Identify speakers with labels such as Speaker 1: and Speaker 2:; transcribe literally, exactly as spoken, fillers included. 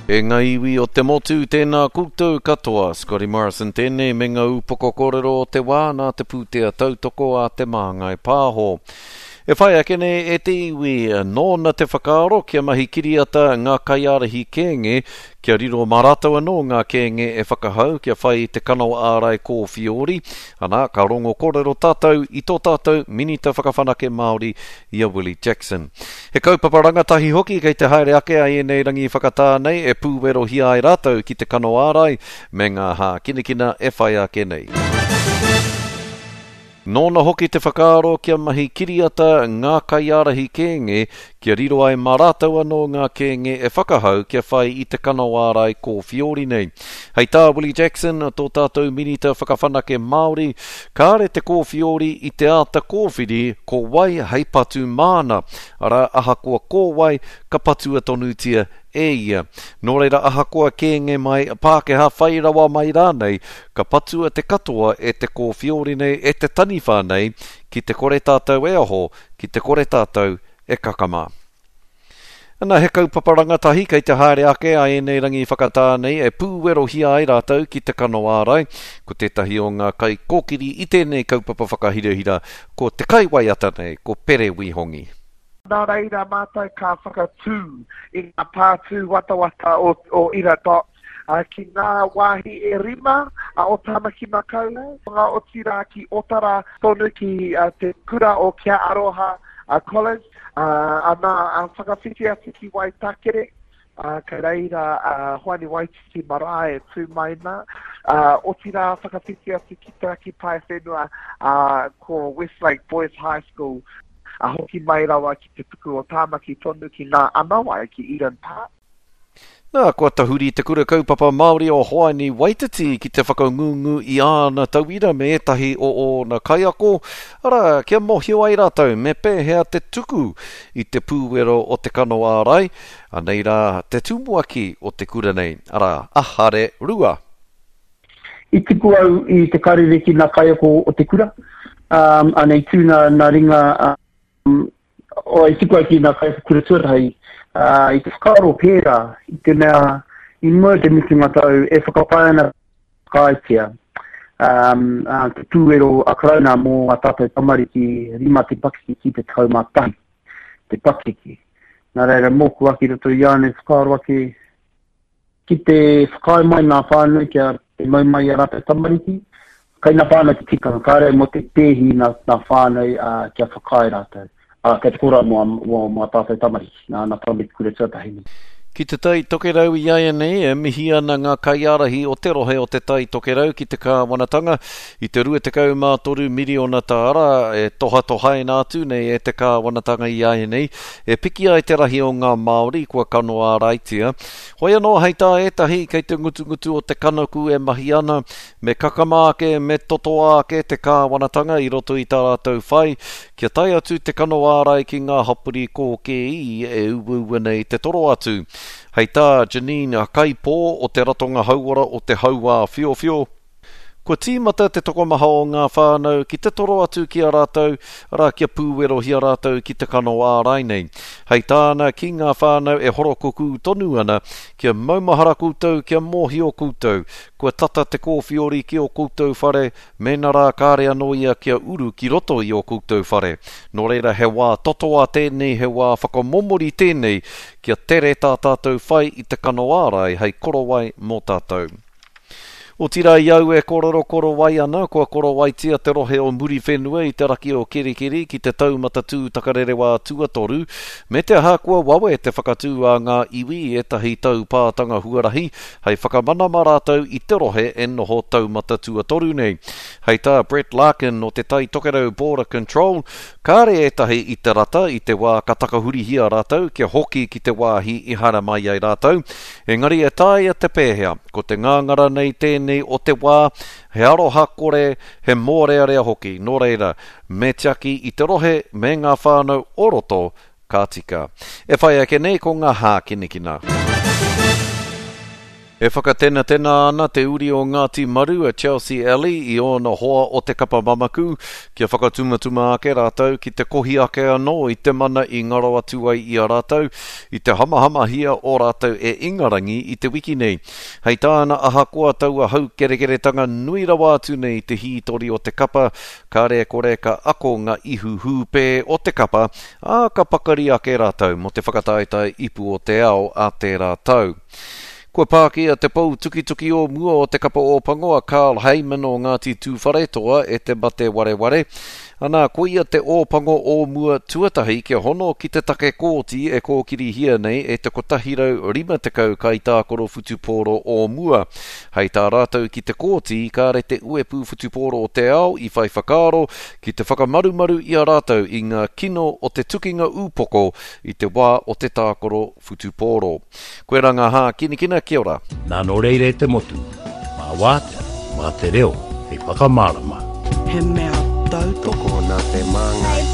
Speaker 1: E ngā iwi o te motu, tēnā koutou katoa. Scotty Morrison tēnei me ngā upoko kōrero o te wā nā te pūtea tautoko a Te Māngai Pāho. E whai ake nei e te iwi, nōna te whakaaro kia mahi kiriata ngā kaiārahi kēnge, kia riro mā rātou anō ngā kēnge e whakahau kia whai i te kano ārai kōwhiori. Ana, ka rongo kōrero tātou i tō tātou Minita Whakawhanake Māori i a Willie Jackson. He kaupapa rangatahi hoki kei te haere ake a ēnei rangi whakatā nei e pūwerohia ai rātou ki te kano ārai me ngā hākinakina e whai ake nei. Nōna hoki te whakaaro kia mahi kiriata ngā kaiārahi kēnge kia riro ai mā rātou anō ngā kēnge e whakahau kia whai i te kano ārai kōwhiori nei. Hei tā Willie Jackson, tō tātou Minita Whakawhanake Māori, kāre te kōwhiori i te āta kōwhiri ko wai hei patu māna, arā ahakoa ko wai ka patua tonutia e ia. Nō reira ahakoa kēnge mai, Pākehā whai rawa mai rānei, ka patua te katoa e te kōwhiori nei, e te taniwha nei, ki te kore tātou e aho, ki te kore tātou e kakama. Ana, he kaupapa rangatahi kei te haere ake a ēnei rangi whakatā nei e pūwerohia ai rātou ki te kano ārai. Ko tētahi o ngā kaikōkiri i tēnei kaupapa whakahirahira, ko te kaiwaiata nei, ko Pere Wihongi.
Speaker 2: Nā reira mātou ka whakatū i ngā pātū watawata o, o Ira Dot uh, ki ngā wāhi e rima uh, o Tāmaki Makaurau, ngā otirā ki Otara tonu ki uh, te kura o Kia Aroha uh, College, uh, ana uh, whakawhiti atu ki Waitakere, uh, kei reira uh, Hoani Waititi marae e tū mai nā, uh, otirā whakawhiti atu ki Te Raki Paewhenua, uh, ko Westlake Boys High School, a hoki mai rawa ki te puku o Tāmaki tonu ki ngā anawai ki Eden Park.
Speaker 1: Nā, kua tahuri te kura kaupapa Māori o Hoani Waititi ki te whakangungu i āna tauira me ētahi o ōna kaiako, arā, kia mōhio ai rātou me pēhea te tuku i te pūwero o te kano ārai, anei rā te tumuaki o te kura nei, arā, a Hare Rua.
Speaker 3: I tuku au i te karere ki ngā kaiako o te kura, um, anei tū nā, nā ringa, um, o, i tuku au ki ngā kaiako kura tuatahi, uh, i te whakaaro pērā, i te mea, i mua te mutunga tau, e whakapae ana whakaaetia, um, uh, te pūwero a Karauna mō ngā tātou tamariki rima te pakeke ki te tekau mā tahi, te pakeke. Nā reira, mōku ake roto i ānei whakaaro ake, ki te whakaae mai ngā whānau kia te mau mai a rātou tamariki, kai ngā whānau te tikanga, kāre mō te pēhi ngā, ngā whānau uh, kia whakaae rātou. Uh, kei te kora mō, mō, mō tātou tamariki, nā, nā tamariki kura tuatahi nei.
Speaker 1: Ki te Tai Tokerau i āianei, e mihi ana ngā kaiārahi o te rohe o te Tai Tokerau ki te kāwanatanga i te rua tekau mā toru miriona tāra e tohatohaina atu nei e te kāwanatanga i āianei, e piki ai te rahi o ngā Māori kua kano āraitia. Hoi anō hei tā ētahi kei te ngutungutu o te kanaku e mahi ana, me kakama ake, me totoa ake te kāwanatanga i roto i tā rātou whai, kia tae atu te kano ārai ki ngā hapori kōkēi e uaua nei te toro atu. Hei tā Janine Kaipō o te Ratonga Hauora o te Hauā Whiowhio, kua tīmata te tokomaha o ngā whānau ki te toro atu ki a rātou, arā kia pūwerohia rātou ki te kano ārai nei. Hei tāna ki ngā whānau e horokukū tonu ana, kia maumahara koutou, kia mōhio koutou, kua tata te kōwhiori ki o koutou whare, mēnā rā kāre anō ia kia uru ki roto i o koutou whare. Nō reira he wā totoa tēnei, he wā whakamomori tēnei, kia tere tā tātou whai i te kano ārai hei korowai mō tātou. Otirā i au e kōrero korowai ana, kua korowaitia te rohe o Muriwhenua i te raki o Kerikeri ki te taumata tū takarerewā tuatoru, me te aha kua wawe te whakatū a ngā iwi i ētahi taupātanga huarahi hei whakamana mā rātou i te rohe e noho taumata tuatoru nei. Hei tā Brett Larkin o te Tai Tokerau Border Control, kāre ētahi i te rata i te wā ka takahurihia rātou kia hoki ki te wāhi i haere mai ai rātou, engari e taea te pēhea, ko te ngāngara nei tēnei o te wā, he aroha kore, he mōrearea hoki. Nō reira, me tiaki i te rohe me ngā whānau o roto, ka tika. E whai ake nei ko ngā hākinakina. E whakatenatena ana te uri o Ngāti Maru a Chelsea Alley i ōna hoa o te kapa mamaku kia whakatumatuma ake rātou ki te kohi ake anō i te mana i ngaro atu ai i a rātou i te hamahamahia o rātou e Ingarangi i te wiki nei. Hei tāna ahakoa taua haukerekeretanga nui rawa atu nei te hītori o te kapa, kāre kore ka ako ngā ihu hūpē o te kapa, ā ka pakari ake rātou mō te whakataetae ipu o te ao a tērā tau. Kua pākia te pou tukituki o mua o te kapa Ōpango a Carl Hayman o Ngāti Tūwharetoa e te mate wareware. Ana, koia te Ōpango o mua tuatahi kia hono ki te take kōti e kōkirihia nei e te kotahi rau rima tekau kaitākaro whutupōro o mua. Hei tā rātou ki te kōti, kāre te uepu whutupōro o te ao i whai whakaaro ki te whakamarumaru i a rātou i ngā kino o te tukinga ūpoko i te wā o te tākaro whutupōro. Koe rā ngā hākinakina, kia ora.
Speaker 4: Nā nō reira e te motu, mā wātea, mā te reo, hei whakamārama.
Speaker 5: He mea tautoko.
Speaker 6: Tokona te māngai.